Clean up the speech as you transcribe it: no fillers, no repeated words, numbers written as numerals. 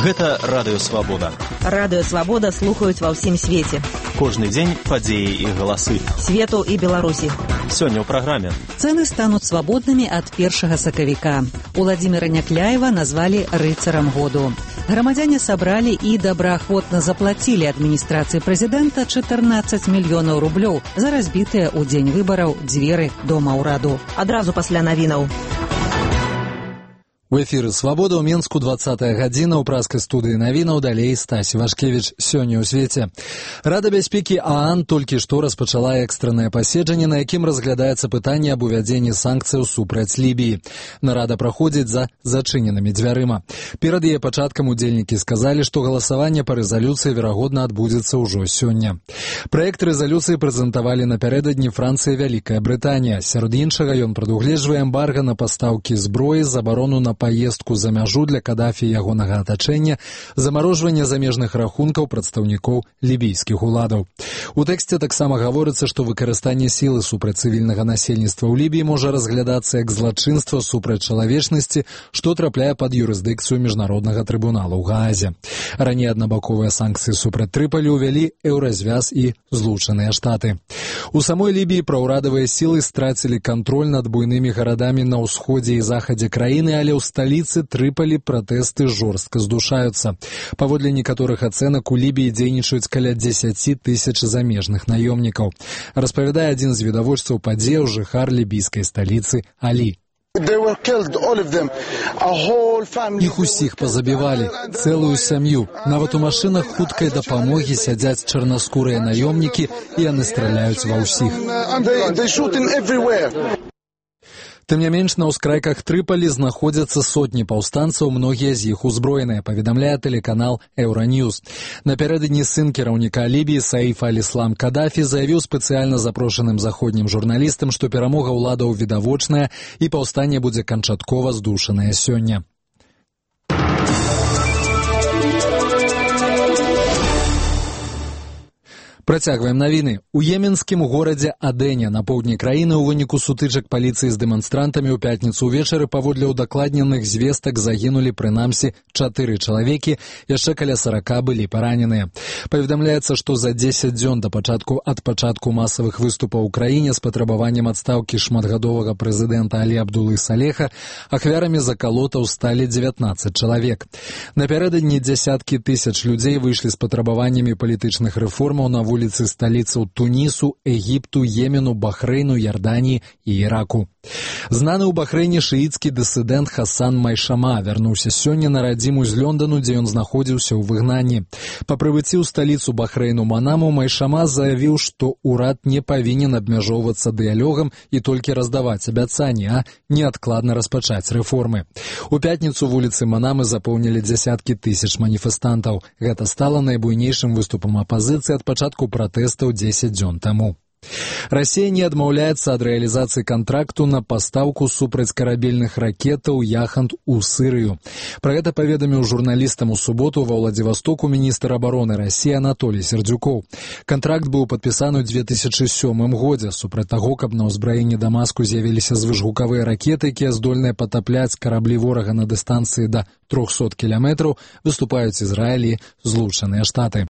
Гэта Радыё Свабода. Радыё Свабода слухаюць ва ўсім свеце. Кожны дзень падзеі і галасы. Свету і Беларусі. Сёння ў праграме. Цэны стануць свабоднымі ад 1 сакавіка. Уладзіміра Някляева назвалі рыцарам году. Грамадзяне сабралі і добраахвотна заплацілі адміністрацыі прэзідэнта 14 мільёнаў рублёў за разбітыя ў дзень выбараў дзверы Дома ўраду. Адразу пасля навінаў. У эфіры «Свабода» ў Менску 20-я гадзіна, ў праскай студыі навінаў, далей Стась Вашкевіч. Сёння ў свеце. Рада бяспекі ААН толькі што распачала экстраннае паседжанне, на якім разглядаецца пытанне аб увядзенні санкцыяў супраць Лібіі. Нарада праходзіць за зачыненымі дзвярыма. Перад яе пачаткам удзельнікі сказалі, што галасаванне па рэзалюцыі верагодна адбудзецца ўжо сёння. Праект рэзалюцыі прэзентавалі напярэдадні Францыя і Вялікая Брытанія. Сярод іншага ён прадугледжвае эмбарга на пастаўкі зброі, забарону на паездку за мяжу для Кадафі і ягонага атачэння, замарожванне замежных рахункаў прадстаўнікоў лібійскіх уладаў. У тэксце таксама гаворыцца, што выкарыстанне сілы супраць цывільнага насельніцтва ў Лібіі можа разглядацца як злачынства супраць чалавечнасці, што трапляе пад юрысдыкцыю міжнароднага трыбунала ў Гаазе. Раней аднабаковыя санкцыі супраць Трыполі ўвялі Еўразвяз і Злучаныя Штаты. У самой Лібіі праўрадавыя сілы страцілі кантроль над буйнымі гарадамі на ўсходзе і захадзе краіны, але ў сталіцы Трыполі пратэсты жорстка здушаюцца. Паводле некаторых ацэнак у Лібіі дзейнічаюць каля 10 тысяч замежных наёмнікаў. Распавядае адзін з відавочцаў падзеяў, жыхар лібійскай сталіцы Алі. Іх усіх пазабівалі, цэлую сям'ю. Нават у машынах хуткай дапамогі сядзяць чарнаскурыя наёмнікі, і яны страляюць ва ўсіх. Тым не менш, на ўскрайках Трыполі знаходзяцца сотні паўстанцаў, многія з іх узброеныя, паведамляе тэлеканал Еўраньюз. Напярэдадні сын кіраўніка Лібіі Саіф аль-Іслам Кадафі заявіў спецыяльна запрошаным заходнім журналістам, што перамога ўладаў відавочная і паўстанне будзе канчаткова здушанае сёння. Працягваем навіны. У еменскім горадзе Адене на поўдні краіны ў выніку сутычак паліцыі з дэманстрантамі ў пятніцу ўвечары паводле ўдакладненых звестак загінулі прынамсі 4 чалавекі, яшчэ каля 40 былі параненыя. Паведамляецца, што за 10 дзён ад пачатку масавых выступаў у краіне з патрабаваннем адстаўкі шматгадовага прэзідэнта Алі Абдулы Салеха ахвярамі закалотаў сталі 19 чалавек. Напярэдадні дзясяткі тысяч людзей выйшлі з патрабаваннямі палітычных рэформаў на вуліцы сталіцаў Тунісу, Егіпту, Йемену, Бахрэйну, Ярданіі і Іраку. Знаны ў Бахрэйне шыіцкі дысідэнт Хасан Майшама вярнуўся сёння на радзіму з Лёндану, дзе ён знаходзіўся ў выгнанні. Па прыбыцці ў сталіцу Бахрэйну Манаму Майшама заявіў, што ўрад не павінен абмяжоўвацца дыялогам і толькі раздаваць абяцанні, а неадкладна распачаць рэформы. У пятніцу вуліцы Манамы запоўнілі дзясяткі тысяч маніфестантаў. Гэта стала найбуйнейшым выступам апазіцыі ад пачатку пратэстаў 10 дзён таму. Расія не адмаўляецца ад рэалізацыі кантракту на пастаўку супрацькарабельных ракетаў «Яхант» у Сырыю. Пра гэта паведаміў журналістам у суботу ва Ўладзівастоку міністр абароны Расіі Анатолій Сердзюкоў. Кантракт быў падпісаны ў 2007 годзе. Супраць таго, каб на ўзбраенні Дамаску з'явіліся звышгукавыя ракеты, якія здольныя патапляць караблі ворага на дыстанцыі да 300 кіламетраў, выступаюць Ізраіль і Злучаныя Штаты.